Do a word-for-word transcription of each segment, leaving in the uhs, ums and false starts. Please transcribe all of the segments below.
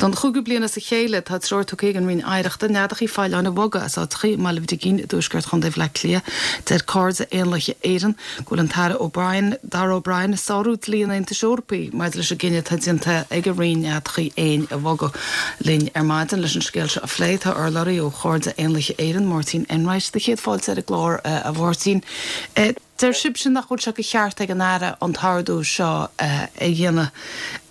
Don chúigiú bliain as a chéile tá treoir tugtha ag an Roinn Oidhreachta neadacha faoileáin a bhogadh as áiteacha i mBaile Brigín i dtuaisceart Chontae Bhaile Átha Cliath. Deir Cairde Éanlaithe Éireann go bhfuil an tAire O'Brien Darragh O'Brien ag sárú dlí an Aontais Eorpaigh maidir leis an gcinneadh atá déanta ag an Roinn neadacha éin a bhogadh linn ar maidin leis an scéal seo a phlé tá urlabhraí ó Chairde Éanlaithe Éireann Máirtín Enright do chéad fáilte ar an gclár uh, a Mháirtín. Uh, Deir sibhse nach bhfuil sé de cheart ag an Aire an t-ordú seo uh, a dhéanamh.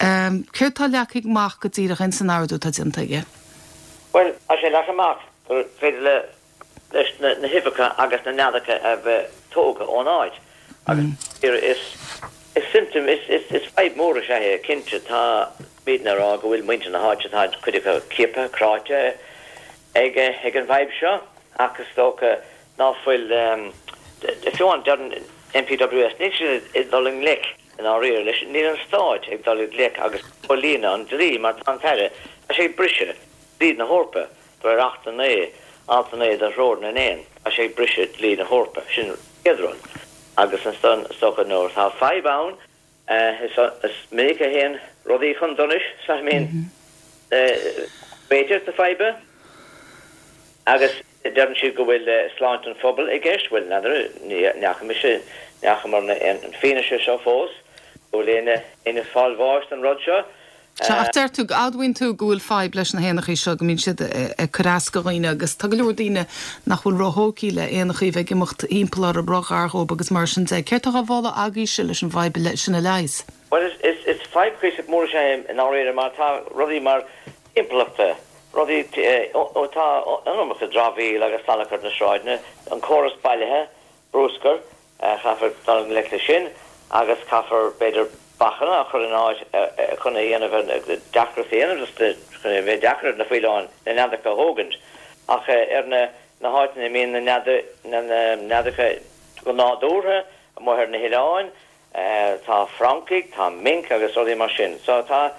Um, Céard tá leagtha amach go díreach in san ordú atá déanta aige? Well tá sé leagtha amach gur féidir le leis na, na huibheacha agus na neadacha a bheith tógtha ón áit. Agus mm. is is symptom is is is fadhb mór sé é cinnte táimidne ag rá go bhfuil muintir na háite tá cuid acu ciaptha cráite ag ag an bhfadhb seo agus dócha ná fuil um, fiú an NPWS níl siad ag dul i ngleic in áiríre leis níl an stát ag dul i ngleic agus comhlíonadh an dlí mar tá an tAire tá sé briseadh dlí na hEorpa de réir Acht a naoi alt a naoi de Threoir na nÉan tá sé briseadh dlí na hEorpa sin chéad rud agus an stocha nuair tá fadhb ann is is minic a théann rudaí chun donais sa mean b'fhéidir na faidhbe agus deireann siad go bhfuil sláinte an phobail i gceist bhfuil n'fheadar n'fhaca mise n'fhacamar an fianaise seo fós go bhfuil éinne ag fáil bháis an rud seo. Ach deir tú admhaíonn tú go bhfuil fadhb leis na héanachaí seo go mbíonn siad ag cur as do dhaoine agus tá go leor daoine nach bhfuil róthógtha le héanachaí bheith ag imeacht timpeall orthu róghar dóibh agus mar sin de. Céard atá á mholadh agaibhse leis an bhfadhb sin a leigheas? Well is is is fadhb cuíosach mór sé in áiríre mar tá rudaí mar timpeallachta rudaí tá an iomarca dramhaíl agus salachar na sráideanna an córas bailithe bruscair caithfear dul i ngleic leis sin agus caithfear b'fhéidir bacanna a chur in áit chun a dhéanamh deacair dhéanamh chun a bheith deacair na faoileáin na neadacha a thógaint ach ar na na háiteanna mbíonn na na neadacha go nádúrtha amuigh ar na hoileáin tá francaigh tá mink agus rudaí mar sin so tá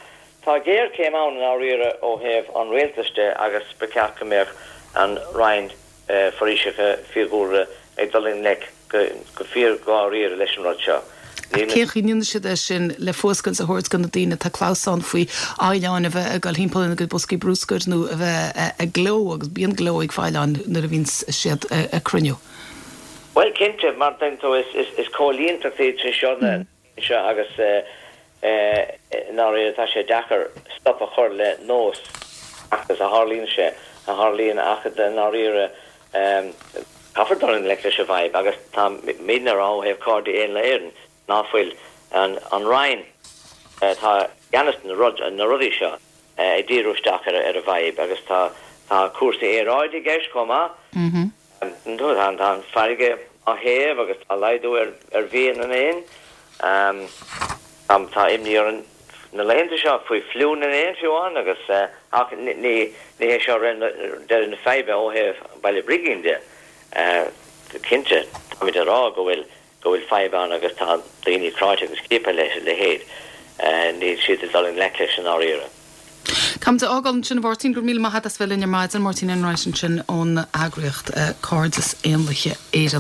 Tá géarchéim ann in áiríre ó thaobh an rialtais de agus ba cheart go mbeadh an Roinn Foraoiseachta Fiadhúlra ag dul i ngleic go fíor dháiríre leis an rud seo. Cén chaoi a ndéanann siad é sin le fuascailt a thabhairt do na daoine tá clamhsán faoi fhaoileáin a bheith ag dul timpeall ina gcuid boscaí bruscair nó a bheith ag gleo agus bíonn gleo ag faoileáin nuair a bhíonn siad ag cruinniú. Well cinnte mar tú is is is comhlíontacht iad seo na seo agus náir tá sé deacair stop a chur le nós agus a tharlaíonn sé a tharlaíonn ach náiríre caithfear dul i ngleic leis an bhfadhb agus táimidne ag rá ó thaobh Cairde Éanlaithe Éireann ná fuil an an Roinn tá ceannas na rud na rudaí seo ag díriú isteach ar ar an bhfadhb agus tá tá cúrsaí aeráide i gceist chomh maith. Tá tá an farraige á théamh agus tá laghdú ar ar bhia na n-éan. Tá imní orainn na laethanta seo faoi fliú na n-éan fiú amháin agus ach ní ní hé seo deireadh na faidhbe ó thaobh Baile Brigín de. Cinnte táimid ag rá go bhfuil go bhfuil fadhb ann agus tá daoine cráite agus ciaptha leis leithéid níl siad ag dul i ngleic leis an áiríre. Táim ag fágáil ansin Mháirtín go míle maith as bheith linn ar maidin Máirtín Enright ansin ón eagraíocht Cairdeas Éanlaithe Éireann.